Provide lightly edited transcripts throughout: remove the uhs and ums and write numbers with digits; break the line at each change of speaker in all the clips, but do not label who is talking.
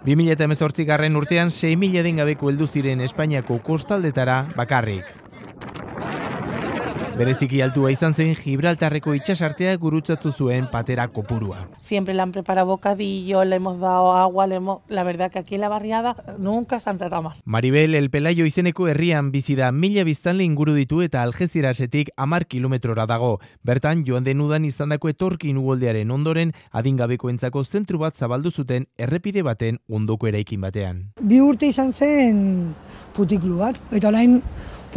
2018 urtean 6.000 adingabeko heldu ziren Espainiako kostaldetara bakarrik. Bereziki altua izan zen Gibraltarreko itsasartea gurutzatu zuen patera kopurua.
Siempre le han preparado bocadillo, le hemos dado agua, la verdad que aquí en la barriada nunca se han tratado mal.
Maribel El Pelayo izeneko herrian bizi da 1000 biztanle inguru ditu eta Algecirasetik 10 kilometrora dago. Bertan joan den udan izandako etorkin uholdearen ondoren adingabekoentzako zentru bat zabaldu zuten errepide baten ondoko eraikin batean.
2 urte izan zen putiklu bat, eta orain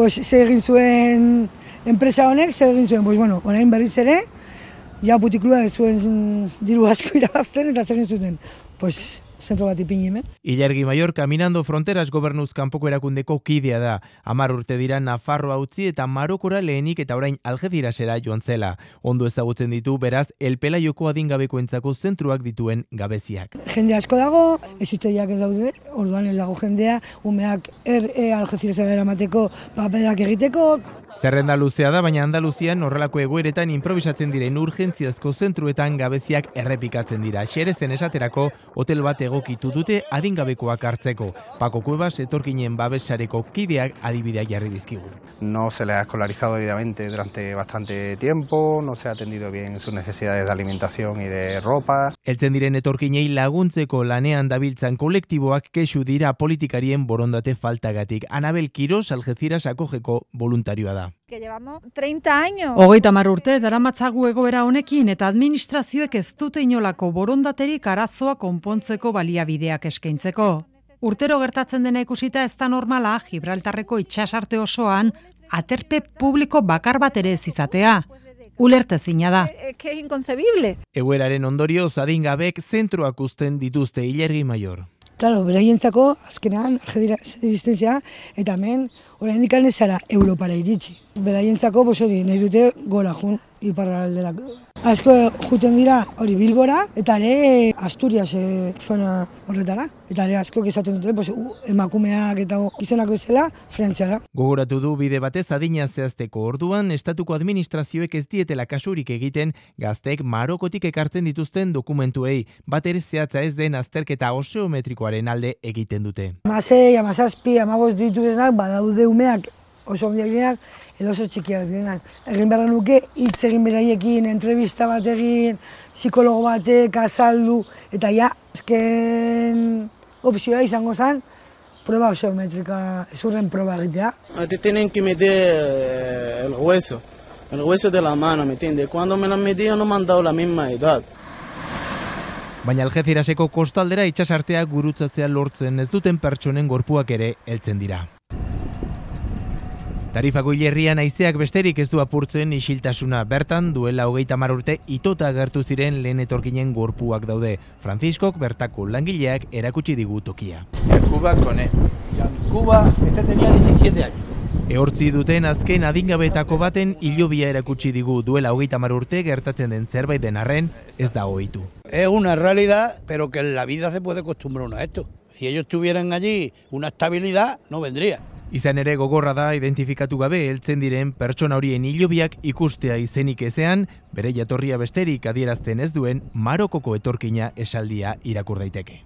ze egin zuen enpresa honek, zer egin zuen, orain berriz ere, ja putiklua ez zuen diru asko irabazten eta zer egin zuten, zentro bat ipini hemen.
Ilargi Mayor Caminando Fronteras gobernuz kanpoko erakundeko kidea da. 10 urte dira Nafarroa utzi eta Marokora lehenik eta orain Algecirasera joan zela. Ondo ezagutzen ditu beraz El Pelayoko adingabekoentzako zentruak dituen gabeziak.
Jende asko dago, hezitzaileak ez daude, orduan ez dago jendea, umeak Algecirasera eramateko paperak egiteko.
Zerrenda luzea da, baina Andaluzian horrelako egoeretan improvisatzen diren urgentziazko zentruetan gabeziak errepikatzen dira. Xerezen esaterako hotel bat egokitu dute adingabekoak hartzeko. Paco Cuevas etorkinen babesareko kideak adibideak jarri dizkigu.
No se le ha escolarizado debidamente durante bastante tiempo, no se ha atendido bien sus necesidades de alimentación y de ropa.
Heltzen diren etorkinei laguntzeko lanean dabiltzan kolektiboak kexu dira politikarien borondate faltagatik. Anabel Quiros Algeciras akojeko voluntarioa da.
Que llevamos 30 años.
30 urte daramatzagu egoera honekin eta administrazioek ez dute inolako borondaterik arazoa konpontzeko baliabideak eskaintzeko. Urtero gertatzen dena ikusita ez da normala Gibraltarreko itsasarte osoan aterpe publiko bakar bat ere ez izatea. Ulertezina da.
Que es inconcebible.
Egoeraren ondorioz adingabek zentroak uzten dituzte Ilargi Mayor.
Claro, beraientzako azkenean Algeciras eta hemen oraindik ez zara Europara iritsi. Beraientzako nahi dute gora jun iparralderako. Asko juten dira hori Bilbora eta ere Asturias zona horretara. Eta ere asko esaten dute emakumeak eta gizonak bezala Frantziara.
Gogoratu du bide batez adina zehazteko orduan estatuko administrazioek ez dietela kasurik egiten gazteek Marokotik ekartzen dituzten dokumentuei. Bat ere zehatza ez den azterketa oseometrikoaren alde egiten dute.
16, 17, 15 dituzenak badaude umeak oso handiak direnak edo oso txikiak direnak. Egin behar nuke hitz egin beraiekin, entrevista bat egin, psikologo batek azaldu eta azken opzioa izango zen prueba oseometrika, ezurren proba egitea.
Te tienen que medir el hueso de la mano, ¿me entiendes? Cuando me lo medían no me han dado la misma edad.
Baina Algeciraseko kostaldera itsasartea gurutzatzea lortzen ez duten pertsonen gorpuak ere heltzen dira. Tarifako hilerrian haizeak besterik ez du apurtzen isiltasuna. Bertan duela 30 urte itota agertu ziren lehen etorkinen gorpuak daude. Franciscok bertako langileak erakutsi digu tokia.
Cuba con él. En Cuba tenía 17 años.
Ehortzi duten azken adingabetako baten hilobia erakutsi digu duela 30 urte gertatzen den zerbait den arren ez da ohitu.
Es una realidad, pero que en la vida se puede acostumbrar uno a esto. Si ellos tuvieran allí una estabilidad, no vendría.
Izan ere gogorra da identifikatu gabe heltzen diren pertsona horien hilobiak ikustea izenik ezean, bere jatorria besterik adierazten ez duen Marokoko etorkina esaldia irakur daiteke.